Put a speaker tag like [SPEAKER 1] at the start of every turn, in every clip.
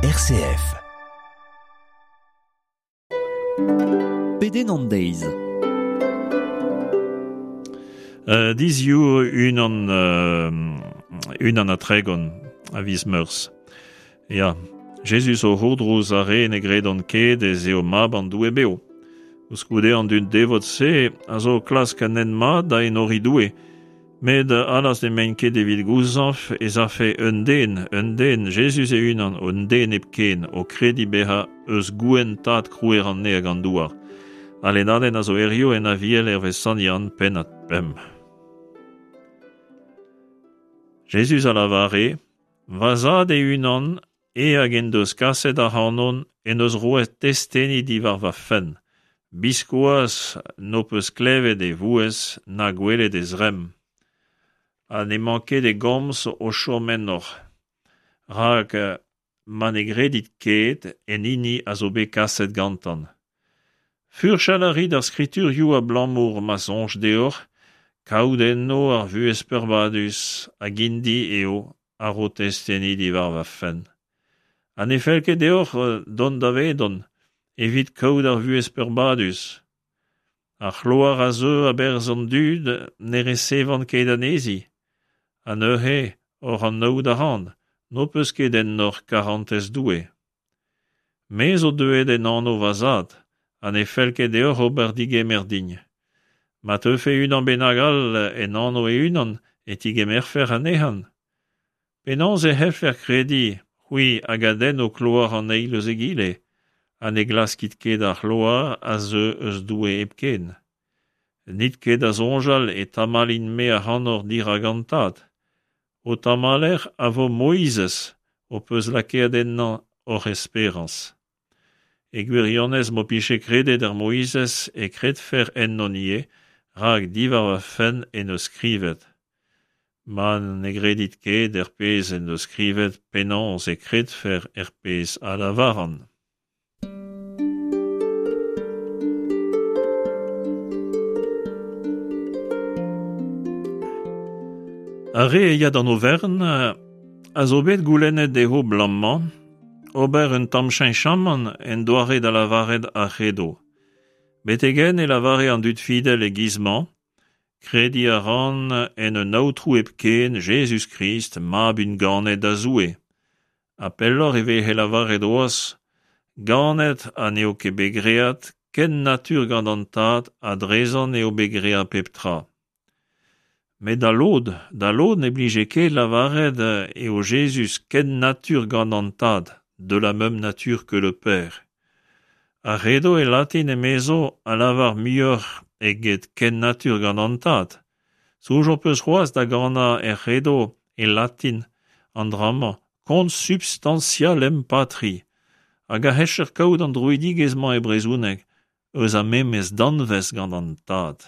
[SPEAKER 1] RCF.
[SPEAKER 2] Pedenn an deiz.
[SPEAKER 3] Uh, Diziou unan, uh, unan ha tregont a viz Meurzh. Ya, Jezuz o c'hourdrouz ar re ne gredont ket ez eo mab an Doue bev. Koulskoude an dud devot-se a zo o klask un hent mat da enoriñ Doue. Met allas n'emaint ket evit gouzañv ez afe un den, un den, Jezuz e-unan, un den hepken, o krediñ bezañ eus gouenn tad krouer an neñv hag an douar. Al lennadenn a zo hiziv en Aviel hervez Sant Yann, pennad pemp. Jezuz a lavare, Va zad e-unan, e hag en deus kaset ac'hanon, en deus roet testeni diwar va fenn. Biskoazh n'ho peus klevet e vouezh na gwelet e zremm. Ha n'emañ ket e gomz o chom ennoc'h, rak ma ne gredit ket en hini a zo bet kaset gantañ. Furchal a rit ar skriturioù abalamour ma soñj deoc'h kaout enno ar vuhez peurbadus hag int-i eo a ro testeni diwar va fenn. Ha ne fell ket deoc'h dont davedon evit kaout ar vuhez peurbadus. Ar c'hloar a zeu a-berzh an dud ne resevan ket anezhi. Ha neuze, oc'h anaout a ran, n'ho peus ket ennoc'h karantez Doue. Me zo deuet en anv va zad, ha ne fell ket deoc'h ober digemer din. Ma teufe unan bennak all en anv e-unan e tigemerfec'h anezhañ. Penaos e c'hellfec'h krediñ, c'hwi hag a denn ho kloar an eil eus egile, ha ne glaskit ket ar c'hloar a zeu eus Doue hepken? N'it ket da soñjal e tamallin-me ac'hanoc'h dirak an Tad. Ho tamaller a vo Moizez ho peus lakaet ennañ hoc'h esperañs. E gwirionez m'ho pije kredet er Moizez e kredfec'h ennon ivez, rak diwar va fenn en deus skrivet. Ma ne gredit ket er pezh en deus skrivet, penaos e kredfec'h er pezh a lavaran? Ar re a ya d'an oferenn a zo bet goulennet dezho 'blam-mañ ober un tamm cheñchamant en doare da lavaret ar c'hredo. Betek-henn e lavare an dud fidel e-giz-mañ Krediñ a ran en un Aotrou hepken, Jezuz-Krist, Mab unganet da Zoue. Ha pelloc'h e veze lavaret c'hoazh ganet ha n'eo ket bet graet ken natur gant an Tad ha drezañ eo bet graet pep tra. Met da lod, da lod ne blije ket lavaret eo Jezuz ken natur gant an Tad, de la même nature que le Père. Ar c'hredo e latin emezo a lavar muioc'h eget ken natur gant an Tad. Soñj ho peus c'hoazh da ganañ er c'hredo e latin an dra-mañ consubstantialem patri hag a c'heller kaout an droidigezh-mañ e brezhoneg eus ar memes danvez gant an Tad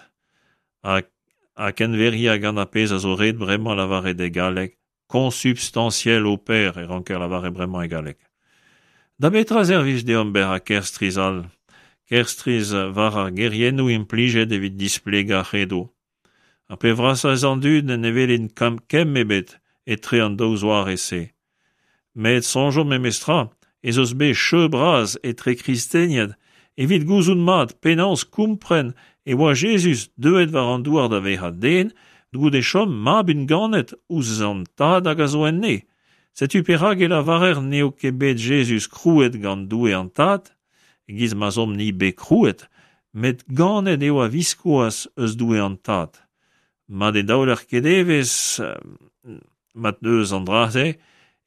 [SPEAKER 3] ha kenveriañ gant ar pezh a zo ret bremañ lavaret e galleg Consubstantiel au Père e ranker lavaret bremañ e galleg. Da betra servij deomp bezañ ker strizh all? Ker strizh war ar geriennoù implijet evit displegañ ar c'hredo. Ar pep vrasañ eus an dud ne welint kemm ebet etre an daou zoare-se. Met soñjomp memestra ez eus bet cheu bras etre kristenien evit gouzout mat penaos kompren e oa Jezuz deuet war an douar da vezañ den goude chom mab unganet ouzh an Tad hag a zo en Neñv. Setu perak e lavarer n'eo ket bet Jezuz krouet gant Doue an Tad, e-giz ma'z omp-ni bet krouet, met ganet eo a-viskoazh eus Doue an Tad. Ma ne daoler ket evezh mat eus an dra-se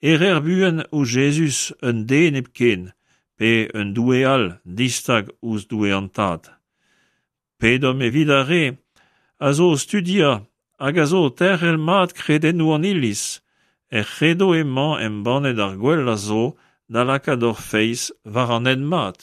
[SPEAKER 3] e reer buan ouzh Jezuz un den hepken pe un doue all distag ouzh Doue an Tad. Pedomp evit ar re a zo o studiañ hag a zo o terc'hel mat kredennoù an Iliz. Er c'hredo emañ embannet ar gwellañ zo da lakaat hor feiz war an hent mat.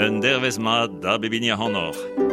[SPEAKER 3] Un dervezh mat da bep hini ac'hanoc'h.